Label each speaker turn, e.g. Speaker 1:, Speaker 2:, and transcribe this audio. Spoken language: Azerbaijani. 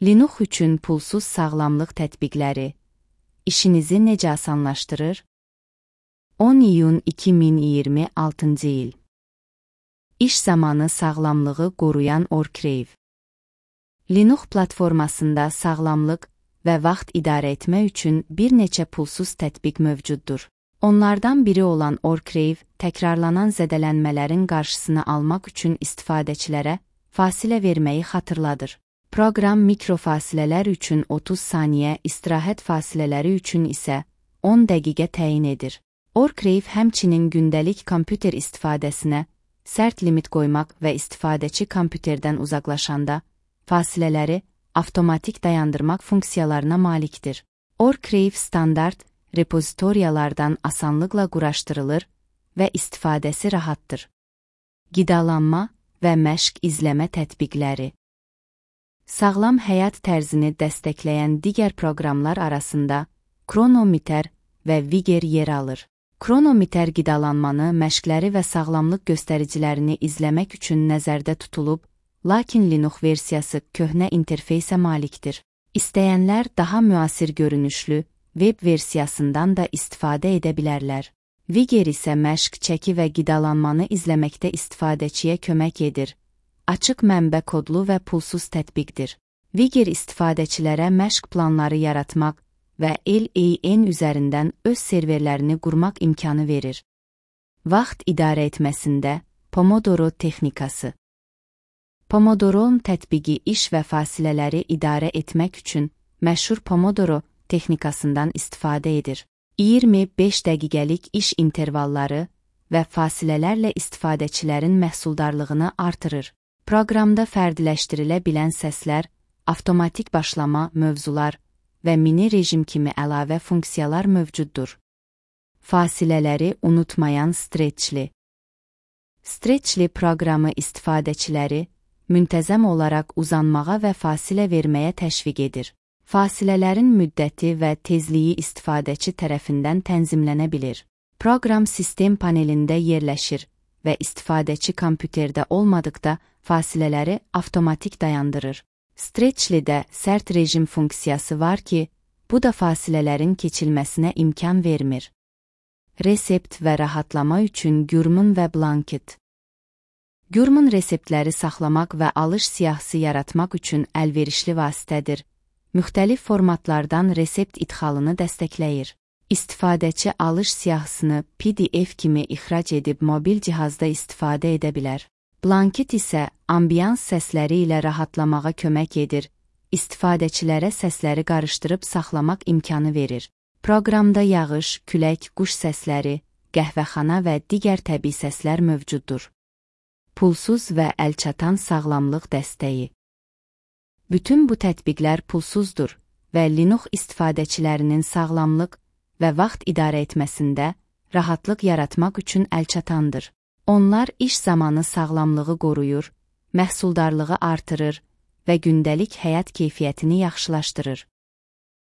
Speaker 1: Linux üçün pulsuz sağlamlıq tətbiqləri işinizi necə asanlaşdırır? 10 iyun 2026-cı il. İş zamanı sağlamlığı qoruyan Orcrave. Linux platformasında sağlamlıq və vaxt idarə etmə üçün bir neçə pulsuz tətbiq mövcuddur. Onlardan biri olan Orcrave, təkrarlanan zədələnmələrin qarşısını almaq üçün istifadəçilərə fasilə verməyi xatırladır. Proqram mikrofasilələr üçün 30 saniyə, istirahət fasilələri üçün isə 10 dəqiqə təyin edir. Orcrave həmçinin gündəlik kompüter istifadəsinə sərt limit qoymaq və istifadəçi kompüterdən uzaqlaşanda fasilələri avtomatik dayandırmaq funksiyalarına malikdir. Orcrave standart repozitoriyalardan asanlıqla quraşdırılır və istifadəsi rahatdır. Qidalanma və məşq izləmə tətbiqləri. Sağlam həyat tərzini dəstəkləyən digər proqramlar arasında Kronometer və Vigor yer alır. Kronometer qidalanmanı, məşqləri və sağlamlıq göstəricilərini izləmək üçün nəzərdə tutulub, lakin Linux versiyası köhnə interfeysə malikdir. İstəyənlər daha müasir görünüşlü web versiyasından da istifadə edə bilərlər. Vigor isə məşq, çəki və qidalanmanı izləməkdə istifadəçiyə kömək edir. Açıq mənbə kodlu və pulsuz tətbiqdir. Vigor istifadəçilərə məşq planları yaratmaq və LAN üzərindən öz serverlərini qurmaq imkanı verir. Vaxt idarə etməsində Pomodoro texnikası. Pomodoro tətbiqi iş və fasilələri idarə etmək üçün məşhur Pomodoro texnikasından istifadə edir. 25 dəqiqəlik iş intervalları və fasilələrlə istifadəçilərin məhsuldarlığını artırır. Proqramda fərdiləşdirilə bilən səslər, avtomatik başlama, mövzular və mini rejim kimi əlavə funksiyalar mövcuddur. Fasilələri unutmayan Stretchli. Stretchli proqramı istifadəçiləri müntəzəm olaraq uzanmağa və fasilə verməyə təşviq edir. Fasilələrin müddəti və tezliyi istifadəçi tərəfindən tənzimlənə bilir. Proqram sistem panelində yerləşir və istifadəçi kompüterdə olmadıqda fasilələri avtomatik dayandırır. Stretchli-də sərt rejim funksiyası var ki, bu da fasilələrin keçilməsinə imkan vermir. Resept və rahatlama üçün Gurman və Blanket. Gurman reseptləri saxlamaq və alış siyahısı yaratmaq üçün əlverişli vasitədir. Müxtəlif formatlardan resept idxalını dəstəkləyir. İstifadəçi alış siyahısını PDF kimi ixrac edib mobil cihazda istifadə edə bilər. Blanket isə ambiyans səsləri ilə rahatlamağa kömək edir, istifadəçilərə səsləri qarışdırıb saxlamaq imkanı verir. Proqramda yağış, külək, quş səsləri, qəhvəxana və digər təbii səslər mövcuddur. Pulsuz və əlçatan sağlamlıq dəstəyi. Bütün bu tətbiqlər pulsuzdur və Linux istifadəçilərinin sağlamlıq və vaxt idarə etməsində rahatlıq yaratmaq üçün əlçatandır. Onlar iş zamanı sağlamlığı qoruyur, məhsuldarlığı artırır və gündəlik həyat keyfiyyətini yaxşılaşdırır.